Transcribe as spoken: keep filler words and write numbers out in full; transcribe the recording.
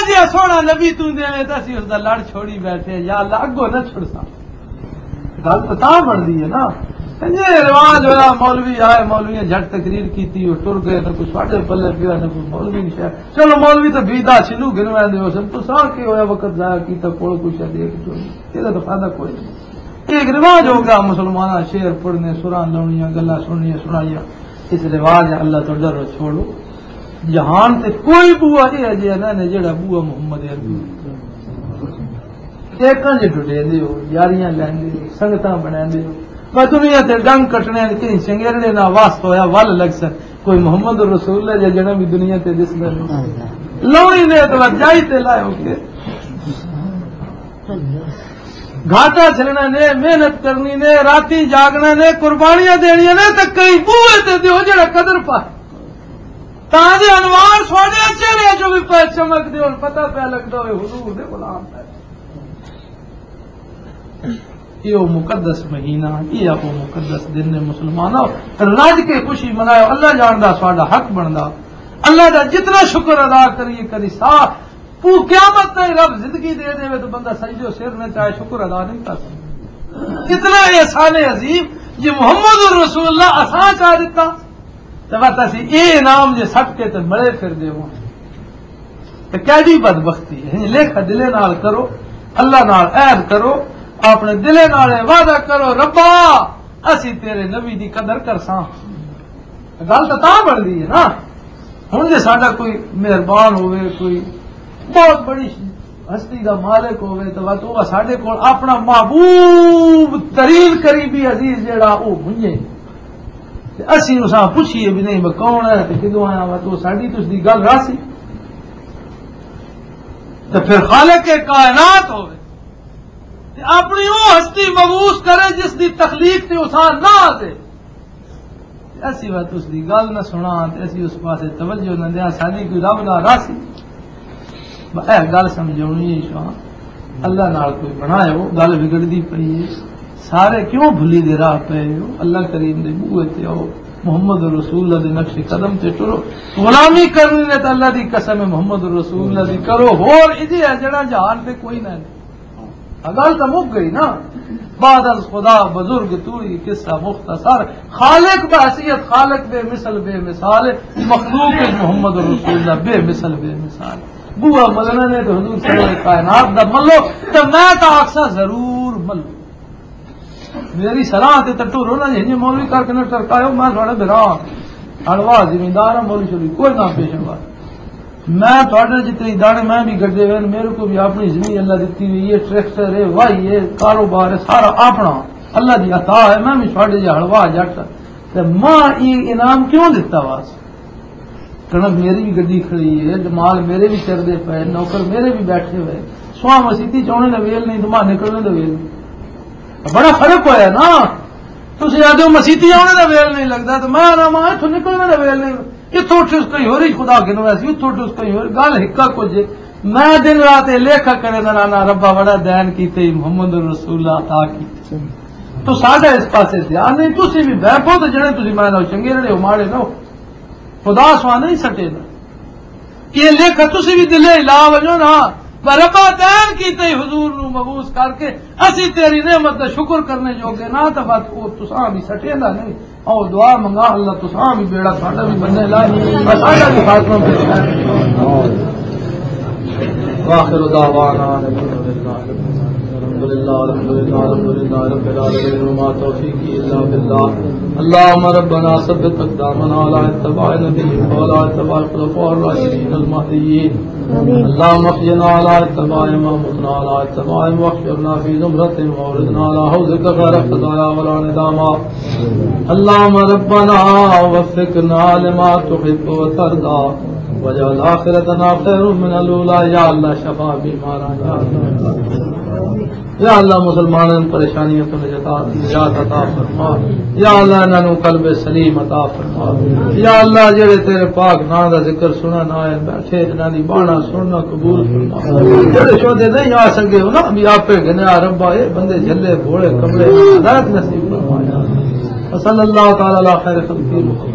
جے سونا نبی توں دیویں تاں اسی اس دا لڑ چھوڑی بیٹھے، یا اللہ اگوں نہ چھڑساں۔ گل تاں تاں بنتی ہے نا۔ جے رواج ہویا، مولوی آئے، مولوی نے جھٹ تقریر کیتی، وہ ٹر گئے، نہ کوئی ساڈے پلے پیا، نہ کوئی مولوی نے شاید۔ چلو مولوی تو بیدا سنو گنوائے دے ہو سن، تو سا کی ہویا وقت ضائع کیتا، کول کوئی شاید ایک چوری، یہ تو فائدہ کوئی نہیں۔ ایک رواج ہو گیا مسلماناں، شعر پڑھنے، سراں لاؤنیاں، گلاں سننیاں سنائیاں۔ اس رواج اللہ تو ڈرو، چھوڑو۔ جہان تے کوئی بوا یہ اجے نہ نے جڑا بوا محمد عربی۔ ایکاں جے ڈڈے دے ہو، یاریاں لیندے ہو، سنگتاں بناندے ہو۔ بس دنیا تے ڈنگ کٹنے نے، کہیں چنگیرڑے نہ واسطہ ہویا، ول لگ سن۔ کوئی محمد رسول اللہ جا جنا بھی دنیا تے دسدا نہیں۔ لوڑی نے تو جائی تے لائے ہو کے۔ گھاٹا جھلنا نے، محنت کرنی نے، راتیں جاگنا نے، قربانیاں دینیاں نے، تے کئی بوئے تے دیو جڑا قدر پا۔ تاں دے انوار سونے چہرے جو بھی پہ چمک دے، ہن پتہ پہ لگدا ہوئے حضور دے غلام پہ۔ یہ وہ مقدس مہینہ، یہ آپ وہ مقدس دن نے، مسلمانوں، رج کے خوشی مناؤ۔ اللہ جاندا ساڈا حق بندا، اللہ دا جتنا شکر ادا کریے کری سا، پو قیامت تائیں رب زندگی دے دے تو بندہ سجدے و سر نے چاہے شکر ادا نہیں کر سکتا۔ اتنا احسان عظیم جی محمد رسول اللہ اساں چاہ دیتا۔ تے بس اسی اے انعام جے سٹ کے تے ملے پھر دے ہوں۔ تے کیڑی بدبختی ہے؟ لکھ دلے نال کرو، اللہ نال عہد کرو، اپنے دلے نال اے وعدہ کرو، ربا اسی تیرے نبی دی قدر کرساں۔ گل تاں تاں بنتی ہے نا۔ ہن جے ساڈا کوئی مہربان ہوئے، کوئی بہت بڑی ہستی دا مالک ہوئے، تو وقت وہ ساڈے کول اپنا محبوب ترین قریبی عزیز جیڑا، وہ منجے۔ تے اسی اساں پوچھیے بھی نہیں، میں کون ہے تے کدوں آیا وا، تو ساڈی تو اس دی گل راسی۔ تے پھر خالق کائنات ہوئے تے اپنی وہ ہستی مبوس کرے جس دی تخلیق تے اساں نہ آ دے۔ تے اسی وقت اس دی گل نہ سنا، تے اسی اس پاسے توجہ نہ دیا، ساڈی کوئی رب نہ راسی۔ ب-، اے گل سمجھونی ہے شاہ، اللہ نال کوئی بنایا ہو، گل بگڑدی پئی ہے۔ سارے کیوں بھلی دے راہ پے ہو؟ اللہ کریم دے بوئے تے آؤ، محمد رسول اللہ دے نقش قدم تے ٹرو۔ غلامی کرنی نے تے اللہ دی قسم ہے، محمد رسول اللہ دی کرو۔ ہور ایجے ہے جڑا جہان تے کوئی نہ ہے۔ گل تو مک گئی نا۔ بعد از خدا بزرگ توئی، قصہ مختصر۔ خالق بحیثیت خالق بے مثل بے مثال ہے، مخلوق وچ محمد رسول اللہ بے مثل بے مثال۔ بوا ملنا نے تو حضور سرور کائنات دا ملو، تو میں تو آکساں ضرور ملو۔ میری صلاح تے تو ٹرو نہ، جے مولوی کر کے نہ ٹرکاؤ، میں تھوڑا بھرا ہاں۔ ہڑوا زمیندار ہاں، مولوی شولوی کوئی نہ پیشے وار۔ میں تھوڑے جتنے دانے میں بھی گڈے ہوئے، میرے کو بھی اپنی زمین اللہ دیتی ہوئی ہے، ٹریکٹر ہے، واہی ہے، کاروبار ہے، سارا اپنا اللہ دی عطا ہے۔ میں بھی تھوڑے جہاں ہڑوا جٹ، تے ماں یہ انعام کیوں دیتا واس؟ کنک میری بھی گڈی کھڑی ہے، مال میرے بھی چردے پے، نوکر میرے بھی بیٹھے ہوئے۔ سواں مسیتی چ آنے دا ویل نہیں، تو ماں نکلنے دا ویل نہیں۔ بڑا فرق ہویا نا۔ تسی آدھے ہو مسیتی آنے دا ویل نہیں لگدا، تو میں آنا ماں اتھوں نکلنے دا ویل نہیں۔ اتھوں اٹھ اس کہیں ہور ہی خدا گنو ایسی، اتھوں اٹھ اس کہیں ہور۔ گل ہکا کچھ ہے۔ میں دن رات یہ لیکھا کرے دا نانا ربا بڑا دین کیتے ہی محمد رسول اللہ عطا کیتے۔ تو ساڈا اس پاسے دھیان نہیں، تسی بھی بہپو تو جڑے تسی میں نہ چنگے رہے ہو، ماڑے نہ ہو۔ خدا سوا نہیں سٹے دا۔ یہ لکھ تسی بھی دلے لا ونجو نا، پر ربا دین کیتے ہی حضور نو مبوس کر کے اسی تیری نعمت دا شکر کرنے جوگے نہ، تو بس او تساں بھی سٹے دا نہیں۔ او دعا منگا اللہ تساں بھی بیڑا ساڈا بھی بننے لا، ساڈا بھی خاتمہ بننے لا۔ واخر دعوانا ان الحمد للہ، الحمد للہ، الحمد للہ، الحمد للہ رب العالمین، وما توفیقی الا باللہ۔ اللهم ربنا ثبت اقدامنا على اتباع نبيك وعلى اتباع الخلفاء الراشدين المهديين۔ اللهم احينا على اتباعهم وامتنا على اتباعهم واحشرنا في زمرتهم واوردنا على حوضك غير خزايا ولا ندامى۔ اللهم ربنا وفقنا لما تحب وترضى واجعل آخرتنا خير من الأولى۔ یا اللہ شفا بیماراں، یا اللہ، یا اللہ مسلمانوں پریشانیوں تو نجات، نجات عطا فرما۔ یا اللہ انہاں نوں قلب سلیم عطا فرما۔ یا اللہ جڑے تیرے پاک نام دا ذکر سنن آئے بیٹھے، انہاں دی بانا سننا قبول فرما۔ جڑے شودے نہیں آ سکے انہاں بھی آپے گنیا ربا، اے بندے جھلے بھولے کملے ہدایت نصیب فرما۔ وصلی اللہ تعالی علی خیر خلقہ محمد۔